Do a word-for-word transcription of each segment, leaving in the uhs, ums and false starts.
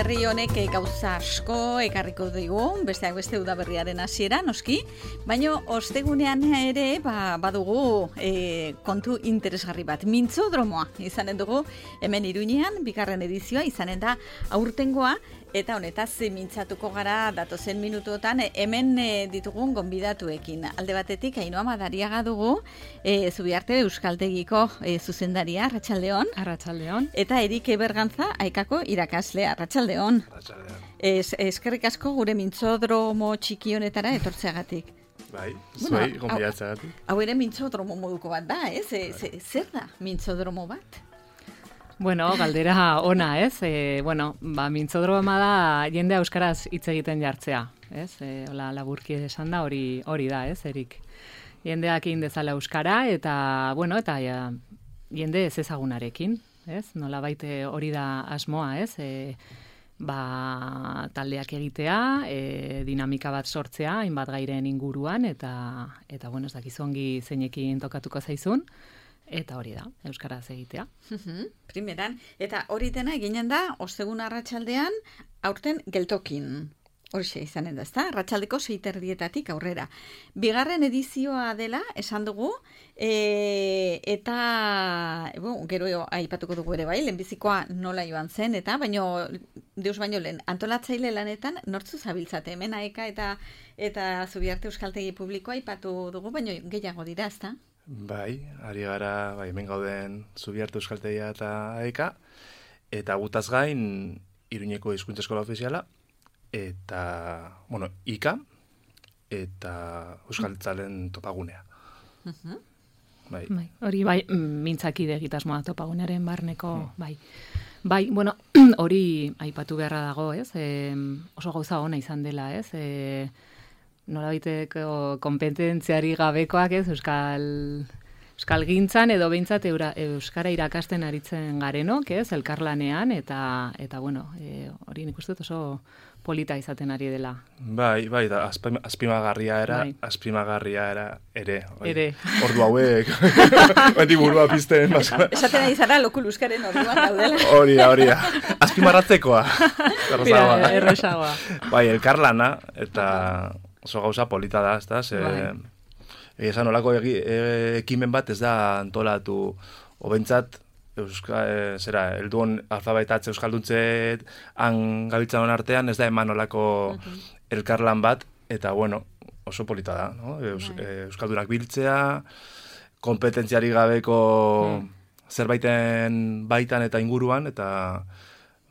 udaberri honek gauza asko ekarriko digu, besteak beste udaberriaren hasiera noski, baino ostegunean ere ba, badugu e, kontu interesgarri bat, mintzodromoa izanen dugu hemen Iruñean, bigarren edizioa izanen da aurtengoa, eta honetaz mintzatuko gara datozen minutuotan hemen e, ditugun gonbidatuekin. Alde batetik Ainhoa Madariaga dugu, e, Zubiarte Euskaltegiko e, zuzendaria, Arratsaldeon. Arratsaldeon. Eta Erik Bergantza Aikako irakaslea, Arratsaldeon. Arratsaldeon. Es, eskerrik asko gure mintzodromo txiki honetara etortzeagatik. Bai, zuei gonbidatzeagatik. Hau ere mintzodromo moduko bat da, ez? E, bai. Zer da mintzodromo bat? Bueno, galdera ona, ez? E, bueno, ba, mintzodroma da jende euskaraz hitz egiten jartzea, ez? E, hola, laburki esan da, hori hori da, ez, Erik? Jendeak egin dezala euskara, eta, bueno, eta ja, jende ez ezagunarekin, ez? Nolabait hori da asmoa, ez? E, ba, taldeak egitea, e, dinamika bat sortzea, hainbat gairen inguruan, eta, eta bueno, ez dakizu ongi zeinekin tokatuko zaizun, eta hori da, euskaraz egitea. Primeran, eta hori dena eginen da, ostegun arratsaldean, aurten geltokin. Horixe izanen da, ezta? Arratsaldeko seiterdietatik aurrera. Bigarren edizioa dela, esan dugu, e, eta bo, gero aipatuko dugu ere bai, lehenbizikoa nola joan zen, eta baino, deus baino lehen, antolatzaile lanetan, nortzu zabiltzate, hemen aeka eta, eta Zubiarte Euskaltegi Publikoa aipatu dugu, baino gehiago dira, ezta? Bai, ari gara, bai, hemen gauden Zubiarte Euskaltegia eta aeka, eta gutaz gain, Iruñeko Hizkuntza Eskola Ofiziala, eta, bueno, ika, eta Euskaltzalen topagunea. Uh-huh. Bai. Bai, hori bai, mintzakide egitasmoa topagunearen barneko, hmm. bai. Bai, bueno, hori aipatu beharra dago, ez? E, oso gauza ona izan dela, ez? E, nolabaiteko kompetentziari gabekoak, ez? Euskal... Euskal gintzan edo behintzat eura, euskara irakasten aritzen garenok, ez, elkarlanean, eta, eta bueno, e, hori nik uste dut oso polita izaten ari dela. Bai, bai, da, azpimagarria era, bai. azpimagarria era, ere. Bai. Ere. Ordu hauek, beti burua pizten. Esaten ari zara, lokul euskaren orduan daudela. Hori da, hori da. Azpimarratzekoa. Erresagoa. Bai, elkarlana, eta oso gauza polita da, ez da, ze... Bai. Esan olako egi, e, ekimen bat ez da antolatu obentzat euska, e, zera, helduon alfabetatze euskalduntzeet han gabiltzan artean ez da eman olako okay. elkarlan bat, eta bueno, oso polita da, no? Eus, e, euskaldunak biltzea, kompetentziari gabeko hmm. zerbaiten baitan eta inguruan, eta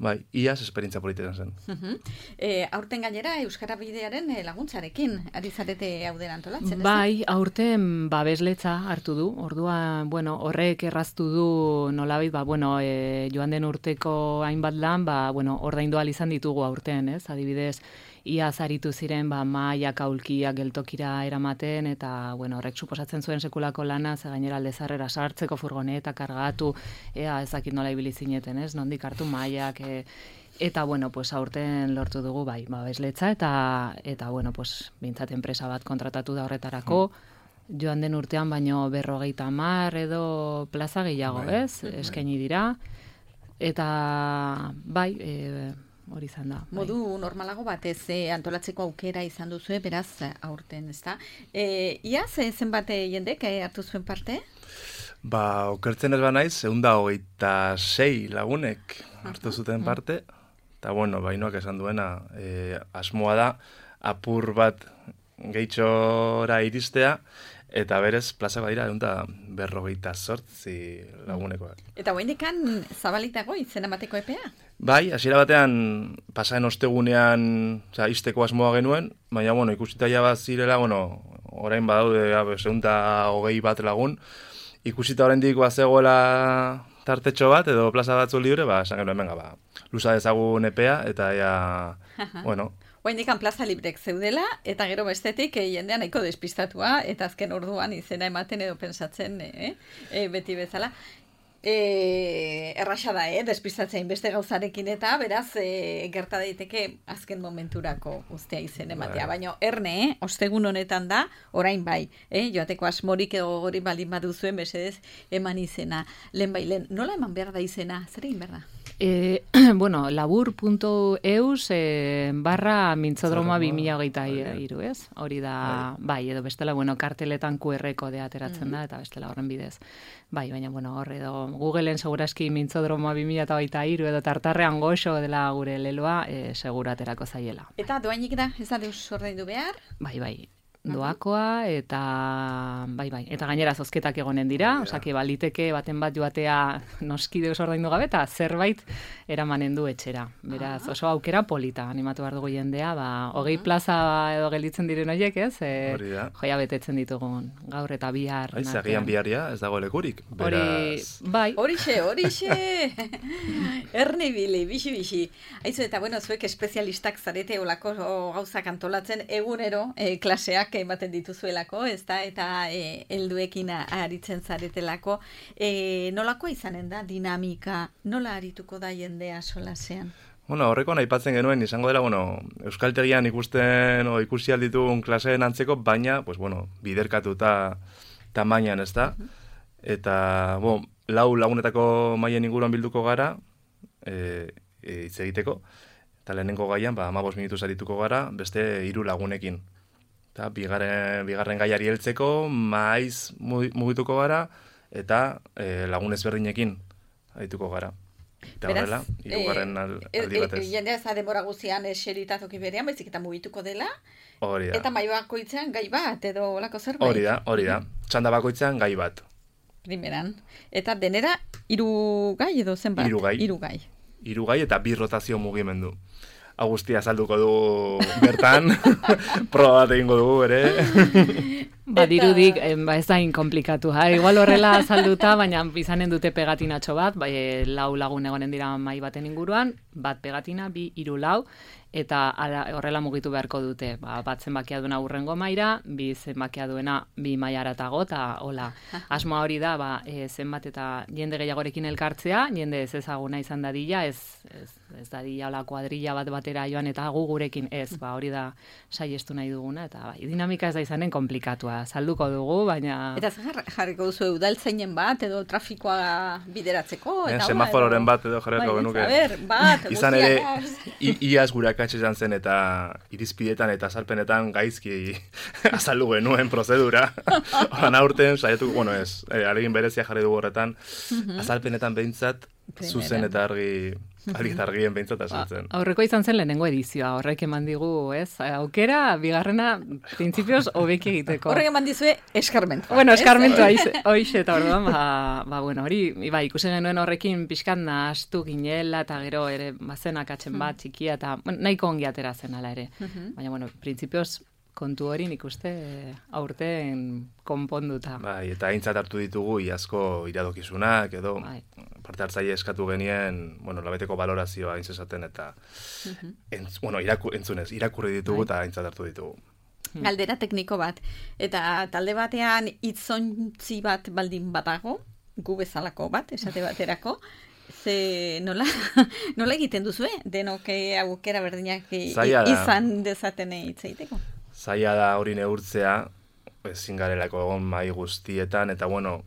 bai, iaz esperientzia politetan zen. Uh-huh. E, aurten gainera Euskara Bidearen laguntzarekin ari zarete hau dena antolatzen, ez? Bai, aurten babesletza hartu du. Orduan, bueno, horrek erraztu du nolabait, ba, bueno, e, joan den urteko hainbat lan, ba, bueno, ordaindu ahal izan ditugu aurten, ez? Adibidez, iaz aritu ziren, ba, mailak aulkiak geltokira eramaten, eta, bueno, horrek suposatzen zuen sekulako lana, ze gainera aldezarrera sartzeko furgoneta kargatu, ea ezakit nola ibili zineten, ez? Nondik hartu mailak, e, eta, bueno, pues aurten lortu dugu, bai, babesletza, eta, eta, bueno, pues, bintzat enpresa bat kontratatu da horretarako, mm. joan den urtean, baino berrogeita hamar edo plaza gehiago, bai. Ez? Mm. Eskaini dira, eta, bai, e, hori izan da. Bai. Modu normalago batez e, antolatzeko aukera izan duzu, beraz aurten, ezta? E, iaz, zenbat jendek hartu zuen parte? Ba, okertzen ez banaiz, ehun eta hogeita sei lagunek hartu zuten parte, eta bueno, Bainoak esan duena, e, asmoa da, apur bat gehitxora iristea, eta berez, plaza badira, ehun eta berrogeita zortzi lagunekoak. Eta guaindekan zabalitago izen emateko epea? Bai, hasiera batean, pasaren ostegunean, oza, izteko asmoa genuen, baina, bueno, ikusita ja bat zirela, bueno, orain badaude, ehun eta hogei bat lagun, ikusita oraindik bazegoela tartetxo bat, edo plaza batzu libre, ba, esan genuen, venga, ba, luza dezagun epea, eta ja, bueno... Oaindikan plaza librek zeudela, eta gero bestetik eh, jendean nahiko despistatua, eta azken orduan izena ematen edo pensatzen eh, eh, beti bezala. E, erraxa da, eh, despistatzen beste gauzarekin eta beraz e, gerta daiteke azken momenturako guztia izen ematea. Baina erne, eh, ostegun honetan da, orain bai, eh, joateko asmorik edo hori baldin baduzuen besedez eman izena. Lehen bai, lehen, nola eman behar da izena? Zer egin behar da? E, bueno, labur puntu eus e, barra mintzodroma bi mila hogeita hiru, ez? Hori da, bai, edo bestela, bueno, karteletan Q R kodea ateratzen da, eta bestela horren bidez. Bai, baina, bueno, hor edo Googleen seguraski mintzodroma bi mila hogeita hiru edo tartarrean goxo dela gure leloa, e, segura aterako zaiela. Eta doainik da, ez da deus ordaindu behar? Bai, bai. Doakoa eta bai bai eta gainera zozketak egonen dira, osake baliteke baten bat joatea noski deus ordaindu gabe eta zerbait eramanen du etxera. Beraz, oso aukera polita animatu behar dugu jendea, ba hogei plaza edo gelditzen diren horiek, ez? E, joia betetzen ditugun gaur eta bihar. Aiz, agian biharria ez dago lekurik. Beraz, bai. Horixe, horixe. Erne bili, bixi bixi. Aizu eta bueno, zuek espezialistak zarete olako gauzak antolatzen egunero e, klaseak ematen dituzuelako, ez da, eta e, helduekin aritzen zaretelako. E, nolakoa izanen da dinamika, nola arituko da jendea solasean? Bueno, horreko aipatzen genuen, izango dela, bueno, euskaltegian ikusten o ikusi alditugun klaseen antzeko, baina, pues bueno, biderkatuta tamainan, ez da? Uh-huh. Eta, bo, lau lagunetako maien inguruan bilduko gara, e, e, hitz egiteko, eta lehenengo gaian, ba, hamabost minutuz arituko gara, beste hiru lagunekin. Eta bigarren, bigarren gaiari heltzeko, maiz mugituko gara, eta e, lagun ezberdinekin arituko gara. Eta horrela, hirugarren aldi batez. Jendea ez da denbora guzian eseritazoki berean, baizik eta mugituko dela. Hori da. Eta mai bakoitzean gai bat, edo olako zerbait. Hori da, hori da. Txanda bakoitzean gai bat. Primeran. Eta denera, hiru gai edo zenbat? Hiru gai. Hiru gai. Hiru gai eta bi rotazio mugimendu. Agustia salduko du bertan, proba bat egingo dugu, ere. Ba, dirudik, ba, ez da inkomplikatu, ha? Igual horrela salduta, baina izanen dute pegatinatxo bat, bai, lau lagun egonen dira mai baten inguruan, bat pegatina, bi, hiru lau, eta ara, horrela mugitu beharko dute. Ba, bat zenbakia duena urrengo maira, bi zenbakia duena bi maiaratago, eta hola. Asmoa hori da, ba, e, zenbat eta jende gehiagorekin elkartzea, jende ez ezaguna izan dadila, ez, ez, ez dadila hola kuadrilla bat batera joan, eta gu gurekin ez, ba, hori da saiestu nahi duguna, eta bai, dinamika ez da izanen komplikatua, salduko dugu, baina... Eta zer jarriko duzu udaltzainen bat, edo trafikoa bideratzeko, eta... Eh, semafororen bat edo jarriko genuke. A ber, bat, izan ere, iaz gure akatxe izan zen, eta irizpidetan eta azalpenetan gaizki azaldu genuen prozedura. Oran aurten, saietu, bueno ez, eh, alegin berezia jarri dugu horretan, azalpenetan behintzat, zuzen eta argi... Argi eta argien behintzat azaltzen. Ba, aurreko izan zen lehenengo edizioa, horrek eman digu, ez? Aukera, bigarrena, printzipioz, hobeki egiteko. Horrek eman dizue eskarmentu. Bueno, eskarmentu hoize, eta orduan, ba, ba, bueno, hori, ba, ikusen genuen horrekin pixkan nahastu ginela, eta gero, ere, bazen akatzen bat, txikia, eta bueno, nahiko ongi atera zen ala ere. Baina, bueno, printzipioz, kontu hori nik uste aurten konponduta. Bai, eta aintzat hartu ditugu iazko iradokizunak, edo bai. Parte hartzaile eskatu genien, bueno, labeteko balorazioa hain zezaten, eta uh-huh. entz, bueno, iraku, entzunez, irakurri ditugu bai. Eta aintzat hartu ditugu. Galdera tekniko bat, eta talde batean hitzontzi bat baldin badago, gu bezalako bat, esate baterako, ze nola, nola egiten duzu, eh? Denok aukera berdinak izan dezaten hitz egiteko? Zaila da hori neurtzea, ezin garelako egon mai guztietan, eta bueno,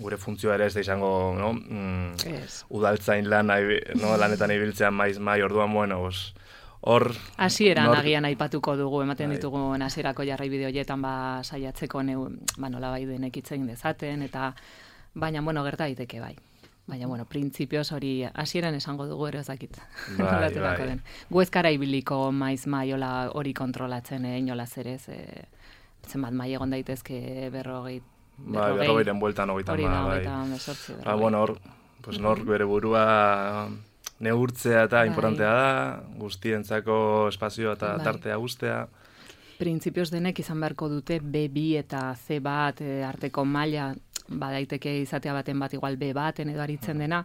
gure funtzioa ere ez da izango, no? Mm, yes. Udaltzain lan, no? Lanetan ibiltzean maiz mai, orduan, bueno, os, hor... Hasieran nor... agian aipatuko dugu, ematen bai. Ditugu hasierako jarrai bideo hoietan ba saiatzeko neu, ba nola bai denek hitz egin dezaten, eta baina, bueno, gerta daiteke bai. Baina, bueno, printzipioz hori hasieran esango dugu ere ezakit. Bai, bai. Gu ezkara ibiliko maiz maiola hori kontrolatzen, eh, inola zerez, eh, zenbat mai egon daitezke berrogei. Bai, berrogeiren bueltan hogeita ma, bai. Ba, bueno, hor, pues nor bere burua neurtzea eta bai. Importantea da, guztientzako espazioa eta bai. Tartea guztea. Printzipioz denek izan beharko dute B bi eta C bat e, arteko maila, badaiteke izatea baten bat igual B baten edo aritzen dena,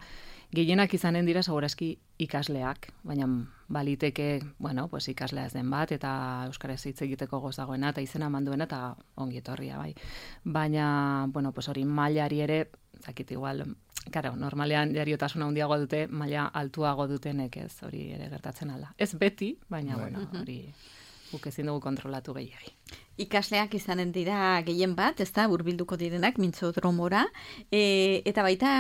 gehienak izanen dira segurazki ikasleak, baina baliteke, bueno, pues ikaslea ez den bat, eta euskaraz hitz egiteko gozagoena, eta izena manduena, eta ongi etorria, bai. Baina, bueno, pues hori mailari ere, zakit igual, karo, normalean jariotasuna handiago dute, maila altuago dutenek ez, hori ere gertatzen ala. Ez beti, baina, bueno, hori... guk ezin dugu kontrolatu gehiagi. Ikasleak izanen dira gehien bat, ez da, hurbilduko direnak mintzodromora, e, eta baita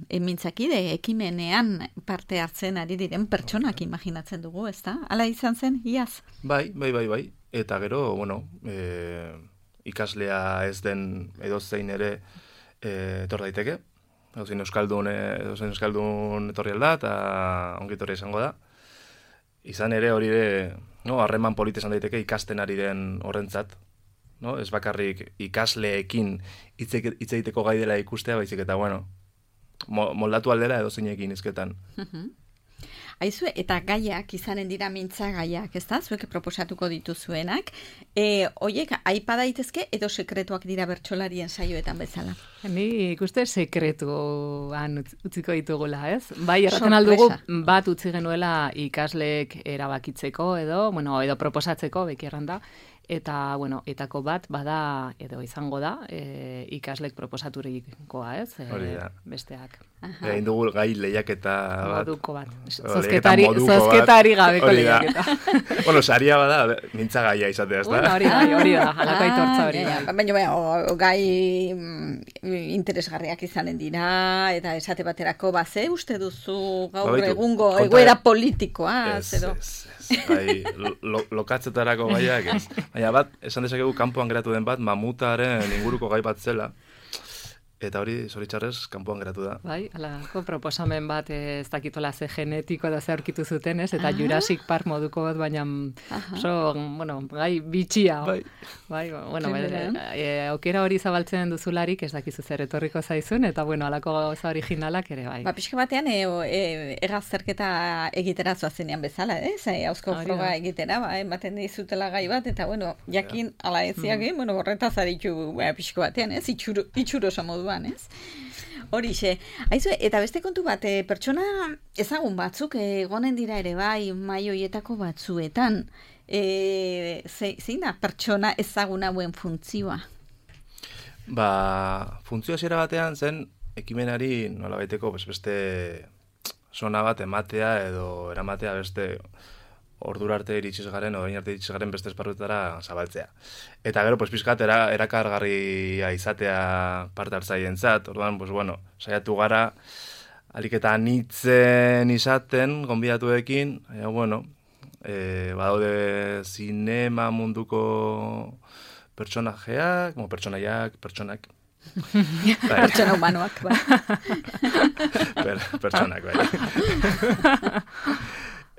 e, mintzakide ekimenean parte hartzen ari diren pertsonak imaginatzen dugu, ez da? Hala izan zen, iaz? Bai, bai, bai, bai. Eta gero, bueno, e, ikaslea ez den edozein ere e, etor daiteke. Edozein euskaldun, edozein euskaldun etorri alda, eta ongi etorri izango da. Izan ere hori ere, no, harreman polit esan daiteke ikasten ari den horrentzat. No? Ez bakarrik ikasleekin hitz egiteko gai dela ikustea, baizik eta, bueno, moldatu aldera edozeinekin hizketan. Aizue, eta gaiak izanen dira mintza gaiak, ez da? Zuek proposatuko dituzuenak. E, oiek, aipa daitezke edo sekretuak dira bertsolarien saioetan bezala? Ni ikuste sekretuan utziko ditugula, ez? Bai, erraten aldugu bat utzi genuela ikasleek erabakitzeko edo, bueno, edo proposatzeko, beki erranda, eta, bueno, etako bat, bada, edo izango da, e, ikaslek proposaturikoa, ez? E, Hori da. Besteak. Egin dugu gai lehiaketa bat. Moduko bat. Zozketari, zozketari gabeko lehiaketa. Bueno, saria bada, mintza gaia izatea, ez da? Bueno, hori da, hori da, halako aitortza hori da. Baina, baina, gai interesgarriak izanen dira, eta esate baterako baze, uste duzu gaur egungo egoera politikoa, zero? Ez, ez, ez, bai, lokatzetarako gaiak, ez. Baina bat, esan dezakegu kanpoan geratu den bat, mamutaren inguruko gai bat zela, eta hori, zoritxarrez, kanpoan geratu da. Bai, alako proposamen bat ez dakitola ze genetiko da ze aurkitu zuten, ez? Eta Jurassic Park moduko bat, baina oso, bueno, gai bitxia. Bai. Bai, bueno, e, aukera hori zabaltzen duzularik ez dakizu zer etorriko zaizun, eta bueno, alako gauza originalak ere, bai. Ba, pixka batean, e, e, egazterketa egitera zoazenean bezala, ez? E, Hauzko froga egitera, ba, ematen dizutela gai bat, eta bueno, jakin ala eziak, mm. bueno, horretaz aritu ba, pixka batean, ez? Itxuro, itxurosa moduan. Ez? Horixe, aizu, eta beste kontu bat, e, pertsona ezagun batzuk egonen dira ere bai maioietako batzuetan, e, ze, zein da pertsona ezagun hauen funtzioa? Ba, funtzioa zera batean zen ekimenari nola baiteko beste zona bat ematea edo eramatea beste ordura arte iritsiz garen, orain arte iritsiz garen beste esparruetara zabaltzea. Eta gero, pues, pizkat, era, erakargarria izatea parte hartzaientzat, orduan, pues, bueno, saiatu gara, alik eta anitzen izaten, gonbidatuekin, e, bueno, e, badaude zinema munduko pertsonajeak, mo, pertsonaiak, pertsonak, pertsona humanoak, bai. per, pertsonak, bai.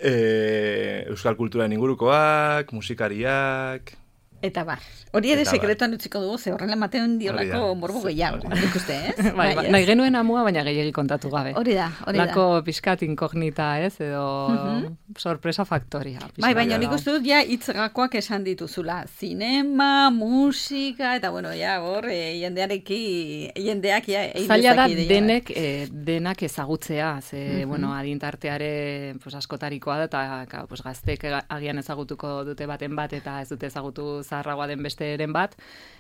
E, euskal kulturan ingurukoak, musikariak... Eta bar. Hori ere sekretuan utziko dugu, ze horrela ematen diolako morbo gehiago. Ikuste, ez? Bai, bai, nahi genuen amua, baina gehiagi kontatu gabe. Hori da, hori da. Lako pixkat inkognita, ez? Edo uh-huh. sorpresa faktoria. Bai, baina nik uste dut, ja, itzgakoak esan dituzula. Zinema, musika, eta bueno, ja, hor, e, jendeareki, jendeak, ja, egin zaila da denek, e, denak ezagutzea, ze, uh-huh. bueno, adintarteare pues, askotarikoa da, eta pues, gaztek agian ezagutuko dute baten bat, eta ez dute ezagutu zaharragoa den besteren bat,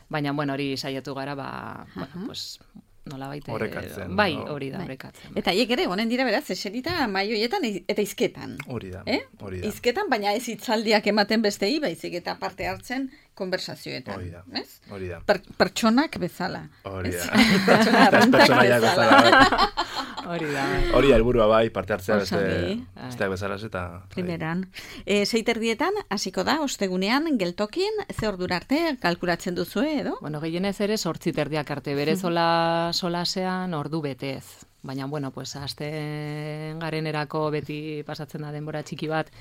baina, bueno, hori saiatu gara, ba, uh-huh. bueno, pues, nola baite... Horrekatzen. Bai, hori da, horrekatzen. Eta hiek ere, honen dira beraz, eserita maioietan eta izketan. Hori da, eh? hori da. Izketan, baina ez hitzaldiak ematen bestei, baizik eta parte hartzen konversazioetan. Hori da, ez? hori da. Per, pertsonak bezala. Hori da. Pertsona arruntak bezala. Hori da. Hori da, helburua bai, parte hartzea beste, besteak bezala eta... Primeran. E, Seiterdietan, hasiko da, ostegunean, geltokin, ze ordura arte, kalkulatzen duzue, edo? Bueno, gehienez ere, sortzi terdiak arte, bere sola, solasean ordu betez. Baina, bueno, pues, asten garenerako beti pasatzen da denbora txiki bat,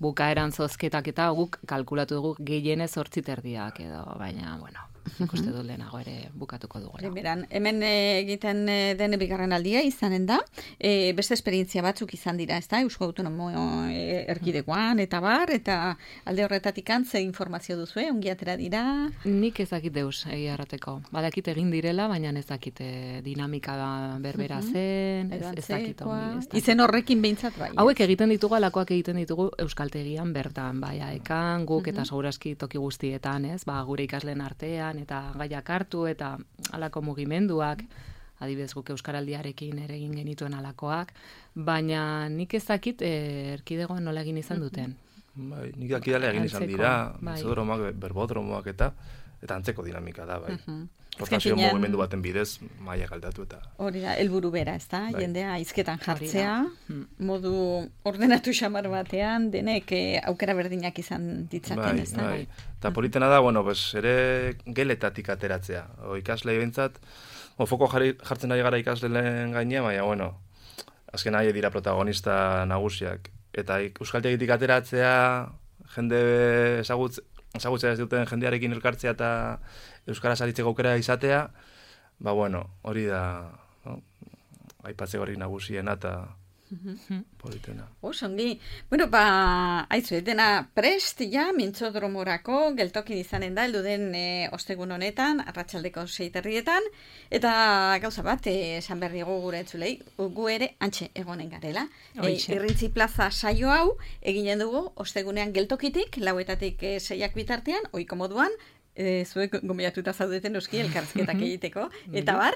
bukaeran zozketak eta guk kalkulatu dugu gehienez sortzi terdiak edo, baina, bueno, ikuste dut lehenago ere bukatuko dugu. Primeran, hemen egiten den bigarren aldia izanen da, e, beste esperientzia batzuk izan dira, ez da, Eusko Autonomo erkidegoan eta bar, eta alde horretatik antze informazio duzue, ongi atera dira? Nik ez dakit deus egia errateko. Badakit egin direla, baina ez dakit dinamika berbera zen, ez, ez dakit. Izen horrekin behintzat bai. Hauek egiten ditugu, alakoak egiten ditugu euskaltegian bertan, bai, ekan, guk eta segurazki toki guztietan, ez, ba, gure ikasleen artean, eta gaiak hartu eta halako mugimenduak, adibidez guk euskaraldiarekin ere egin genituen halakoak, baina nik ez dakit erkidegoan nola egin izan duten. Bai, nik dakidale egin izan Antzeko, dira, bai. mintzodromoak, berbodromoak eta eta antzeko dinamika da, bai. Mhm. Rotazio finean- mugimendu baten bidez, mailak aldatu eta... Hori da, helburu bera, ez da? Bai. Jendea hizketan Hori jartzea, da. Mm. modu ordenatu xamar batean, denek eh, aukera berdinak izan ditzaten, Bai, ez da? bai. Eta politena da, bueno, pues, ere geletatik ateratzea. O ikaslei bentsat, o foko jarri, jartzen ari gara ikasleen gainean, baina, bueno, azken nahi dira protagonista nagusiak. Eta ik- euskaltegitik ateratzea, jende ezagutz, ezagutzea ez duten jendearekin elkartzea eta euskaraz aritzeko aukera izatea, ba, bueno, hori da, no? Aipatzeko hori nagusiena eta politena. Osongi. Bueno, ba, aizu, dena prest, ja, mintzodromorako, geltokin izanen da, heldu den e, ostegun honetan, arratsaldeko seiterrietan, eta gauza bat, e, esan berriago gure entzulei, gu ere antxe egonen garela. E, Hoixe. Irrintzi plaza saio hau, eginen dugu, ostegunean geltokitik, lauetatik e, seiak bitartean, oiko moduan, e, zuek gomiatuta zaudeten noski elkarrizketak egiteko, eta bar,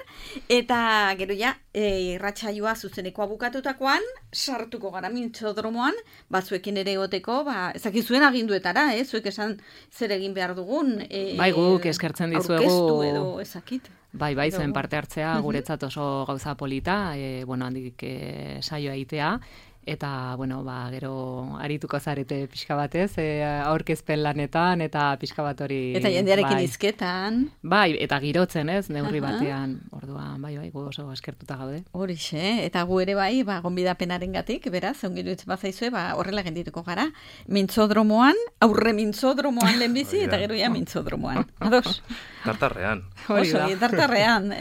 eta gero ja, e, irratsaioa zuzenekoa bukatutakoan, sartuko gara mintzodromoan, batzuekin ere egoteko, ba, ezakizuen aginduetara, eh? Zuek esan zer egin behar dugun. E, Bai, guk eskertzen dizuegu- Aurkeztu edo ezakit. Bai, bai, Edo- zuen parte hartzea guretzat oso gauza polita, e, bueno, handik e, saioa egitea, eta, bueno, ba, gero arituko zarete pixka batez, e, aurkezpen lanetan, eta pixka bat hori... Eta jendearekin bai. hizketan. Bai, eta girotzen, ez, neurri Aha. batean, orduan, bai, bai, gu oso eskertuta gaude. Horixe, eta gu ere bai, ba, gonbidapenaren gatik, beraz, ongiru ez bazaizue, ba, horrela gendituko gara. Mintzodromoan, aurre mintzodromoan lehenbizi, Hori da. eta gero ja mintzodromoan. Ados? Tartarrean. Hori Oso, da. tartarrean,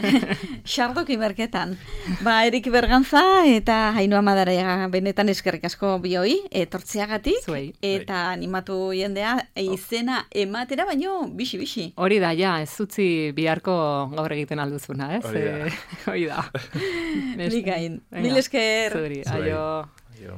xardoki berketan. Ba, Erik Bergantza eta Ainhoa Madariaga benetan eskerrik asko bioi, etortzeagatik, Zuei. eta animatu jendea izena ematera, baino bixi-bixi. Hori da, ja, ez utzi biharko gaur egiten alduzuna, ez? Hori da. Eh, Hori da. Nik gain. Venga, Mil esker. Zuri, Zuei. aio. Aio.